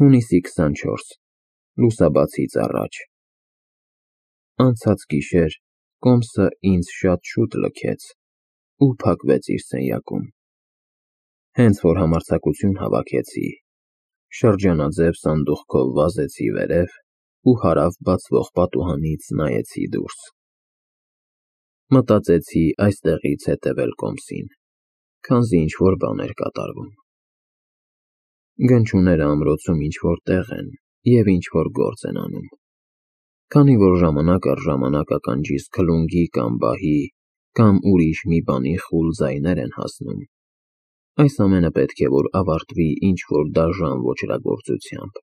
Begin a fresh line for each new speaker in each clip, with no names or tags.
Հունիսի 24, լուսաբացից առաջ։ Անցած գիշեր կոմսը ինձ շատ շուտ լքեց ու փակվեց իր սենյակում։ Հենց որ համարձակություն հավաքեցի, շրջանաձև սանդուղքով վազեցի վերև ու հարավ բացվող պատուհանից նայեցի դուրս։ Մտածեցի այստեղից հետևել կոմսին, քանզի ինչ-որ բան էր կատարվում։ Գնչուները ամրոցում ինչ-որ տեղ են և ինչ-որ գործ են անում։ Քանի որ ժամանակ առ ժամանակ ականջիս քլունգի կամ բահի կամ ուրիշ մի բանի խուլ ձայներ են հասնում, այս ամենը պետք է որ ավարտվի ինչ-որ դաժան ոճրագործությամբ։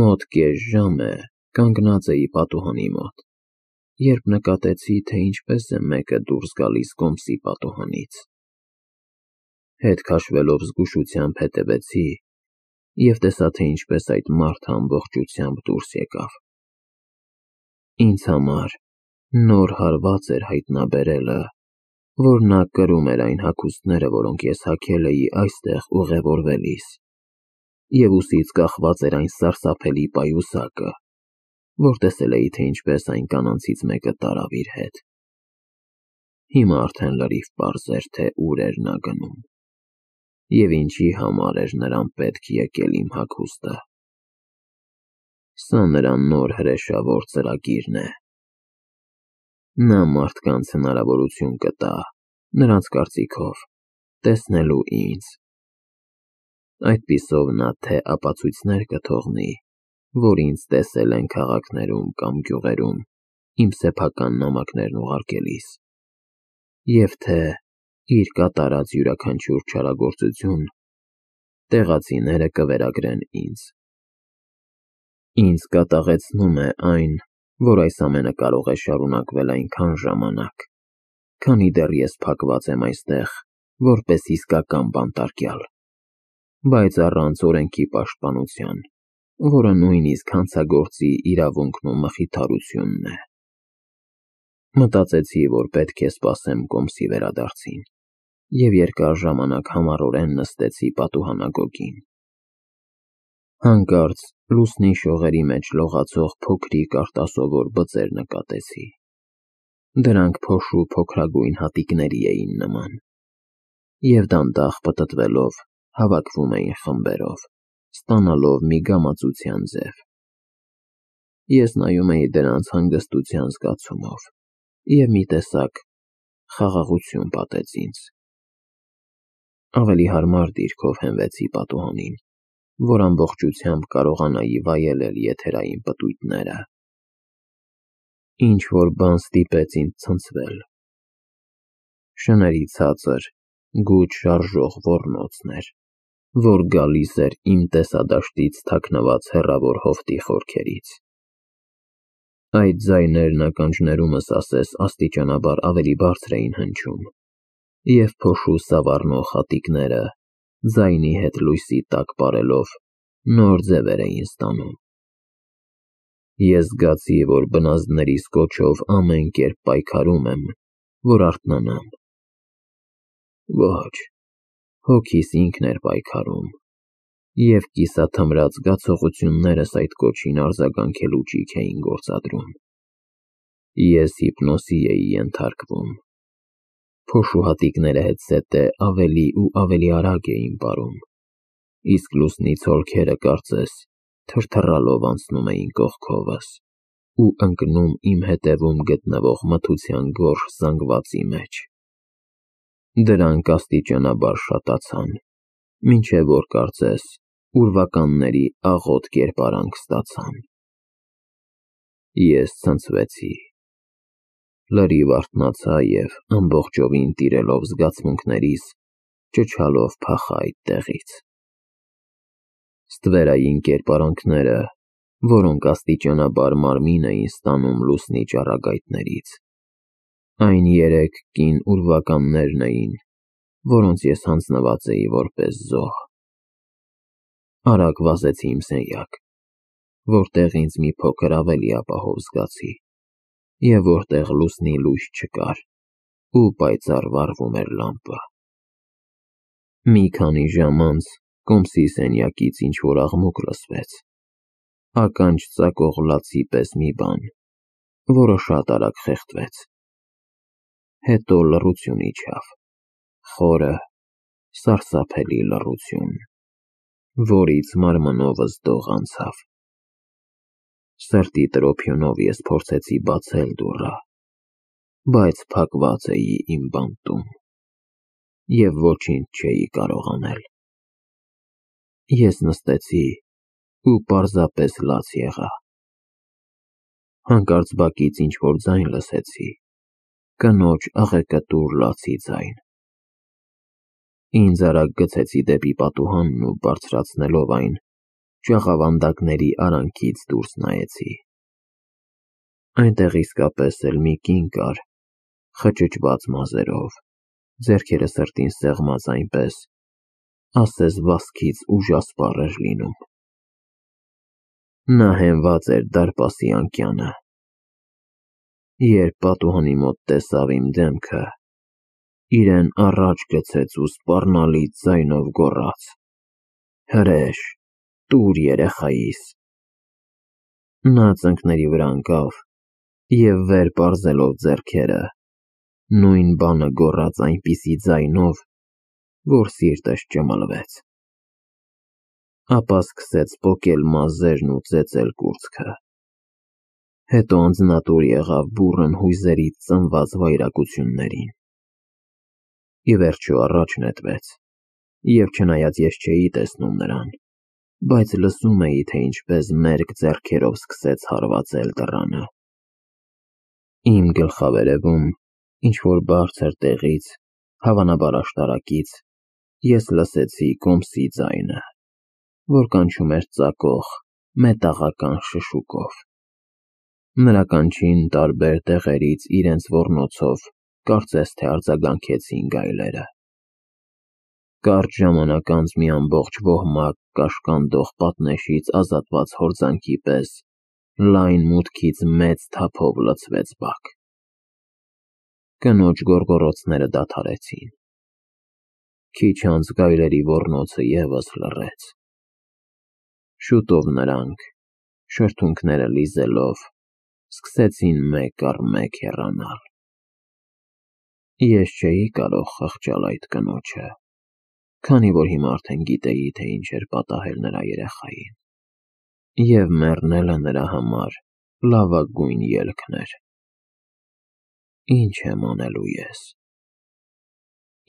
Մոտ կես ժամ է կանգնած էի պատուհանի մոտ, երբ նկատեցի, թե ինչպես է մեկը դուրս գալիս կոմսի պատուհանից։ Հետ քաշվելով զգուշությամբ հետևեցի և տեսա, թե ինչպես այդ մարդը ամբողջությամբ դուրս եկավ։ Ինձ համար նոր հարված էր հայտնաբերելը, որ նա կրում էր այն հագուստները, որոնք ես հագել էի այստեղ ուղևորվելիս, և ուսից կախված էր այն սարսափելի պայուսակը, որ տեսել էի, թե ինչպես այն կանանցից մեկը տարավ իր հետ։ Հիմա արդեն լրիվ պարզ էր, թե ուր էր նա գնում և ինչի համար էր նրան պետք եկել իմ հագուստը։ Սա նրա նոր հրեշավոր ծրագիրն է։ Նա մարդկանց հնարավորություն կտա, նրանց կարծիքով, տեսնելու ինձ։ Այդպիսով նա թե ապացույցներ կթողնի, որ ինձ տեսել են քաղաքներում կամ գյուղերում իմ սեփական նամակներն ուղարկելիս, և թե իր կատարած յուրաքանչյուր չարագործություն տեղացիները կվերագրեն ինձ։ Ինձ կատաղեցնում է այն, որ այս ամենը կարող է շարունակվել այնքան ժամանակ, քանի դեռ ես փակված եմ այստեղ, որպես իսկական բանտարկյալ, բայց առանց օրենքի պաշտպանության, որը նույնիսկ հանցագործի իրավունքն ու մխիթարությունն է։ Մտածեցի, որ պետք է սպասեմ կոմսի վերադարձին, և երկար ժամանակ համառորեն նստեցի պատուհանագոգին։ Հանկարծ լուսնի շողերի մեջ լողացող փոքրիկ արտասովոր բծեր նկատեցի։ Դրանք փոշու փոքրագույն հատիկների էին նման, և դանդաղ պտտվելով հավաքվում էին խմբերով, ստանալով մի գամածության ձև։ Ես նայում էի դրանց հանգստության զգացումով, և մի տեսակ խաղաղություն պատեց ինձ։ Ավելի հարմար դիրքով հենվեցի պատուհանին, որ ամբողջությամբ կարողանայի վայելել եթերային պտույտները։ Ինչ-որ բան ստիպեց ինձ ցնցվել։ Շների ցածր, գութ շարժող ոռնոցն էր, որ գալիս էր իմ տեսադաշտից թաքնված հեռավոր հովտի խորքերից։ Այդ ձայներն ականջներումս ասես աստիճանաբար ավելի բարձր էին հնչում, և փոշու սավառնող հատիկները, ձայնի հետ լույսի տակ պարելով, նոր ձևեր էին ստանում։ Ես զգացի, որ բնազդներիս կոչով ամեն կերպ պայքարում եմ, որ արթնանամ։ Ոչ, հոգիս ինքն էր պայքարում, և կիսաթմրած զգացողություններս այդ կոչին արձագանքելու ճիգ էին գործադրում։ Ես հիպնոսի էի ենթարկվում։ Փոշու հատիկները հետզհետե ավելի ու ավելի արագ էին պարում, իսկ լուսնի ցոլքերը կարծես թրթռալով անցնում էին կողքովս ու ընկնում իմ հետևում գտնվող մթության գորշ զանգվածի մեջ։ Դրանք աստիճանաբար շատացան, մինչև որ կարծես ուրվականների աղոտ կերպարանք ստացան։ Ես ցնցվեցի, լրիվ արթնացա և ամբողջովին տիրելով զգացմունքներիս, ճչալով փախա այդտեղից։ Ստվերային կերպարանքները, որոնք աստիճանաբար մարմին էին ստանում լուսնի ճառագայթներից, այն երեք կին ուրվականներն էին, որոնց ես հանձնված էի որպես զոհ։ Արագ վազեցի իմ սենյակ, որտեղ ինձ մի փոքր ավելի ապահով զգացի, և որտեղ լուսնի լույս չկար ու պայծառ վառվում էր լամպը։ Մի քանի ժամ անց Կոմսի սենյակից ինչ-որ աղմուկ լսվեց, ականջ ծակող լացի պես մի բան, որը շատ արագ խեղդվեց։ Հետո լռություն իջավ, խորը, սարսափելի լռություն, որից մարմնովս դող անցավ։ Սրտի տրոփյունով ես փորձեցի բացել դուռը, բայց փակված էի իմ բանտում, և ոչինչ չէի կարող անել։ Ես նստեցի ու պարզապես լաց եղա։ Հանկարծ բակից ինչ-որ ձայն լսեցի, կնոջ աղեկտուր լացի ձայն։ Ինձ արագ գցեցի դեպի պատուհանն ու բարձրացնելով այն, ջաղավանդակների արանքից դուրս նայեցի։ Այնտեղ իսկապես էլ մի կին կար, խճճված մազերով, ձեռքերը սրտին սեղմած այնպես, ասես վազքից ուժասպառ էր լինում։ Նա հենված էր դարպասի անկյանը։ Երբ պատուհանի մոտ տեսավ իմ դեմքը, իրեն առաջ գցեց ու սպառնալից ձայնով գոռաց. «Հրեշ, տուր երեխայիս»։ Նա ծնկների վրա ընկավ և վեր պարզելով ձեռքերը, նույն բանը գոռաց այնպիսի ձայնով, որ սիրտս ճմլվեց։ Ապա սկսեց պոկել մազերն ու ծեծել կուրծքը։ Հետո անձնատուր եղավ բուռն հույզերից ծնված վայրագություններին։ Ի վերջո առաջ նետվեց, և չնայած ես չէի տեսնում նրան, բայց լսում էի, թե ինչպես մերկ ձեռքերով սկսեց հարվածել դռանը։ Իմ գլխավերևում, ինչ-որ բարձր տեղից, հավանաբար աշտարակից, ես լսեցի Կոմսի ձայնը, որ կանչում էր ծակող, մետաղական շշուկով։ Նրա կանչին տարբեր տեղերից իրենց ոռնոցով կարծես թե արձագանքեցին գայլերը։ Կարճ ժամանակ անց մի ամբողջ ոհմակ կաշկանդող պատնեշից ազատված հորձանքի պես լայն մուտքից մեծ թափով լցվեց բակ։ Կնոջ գոռգոռոցները դադարեցին։ Քիչ անց գայլերի ոռնոցը ևս լռեց։ Շուտով նրանք, շրթունքները լիզելով, սկսեցին մեկ առ մեկ հեռանալ։ Ես չէի կարող խղճալ այդ կնոջը, քանի որ հիմա արդեն գիտեի, թե ինչ էր պատահել նրա երեխային, և մեռնելը նրա համար լավագույն ելքն էր։ Ինչ եմ անելու ես։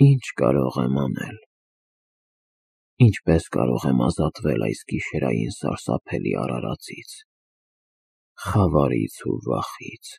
Ինչ կարող եմ անել։ Ինչպես կարող եմ ազատվել այս գիշերային սարսափելի արարածից, խավարից ու վախից։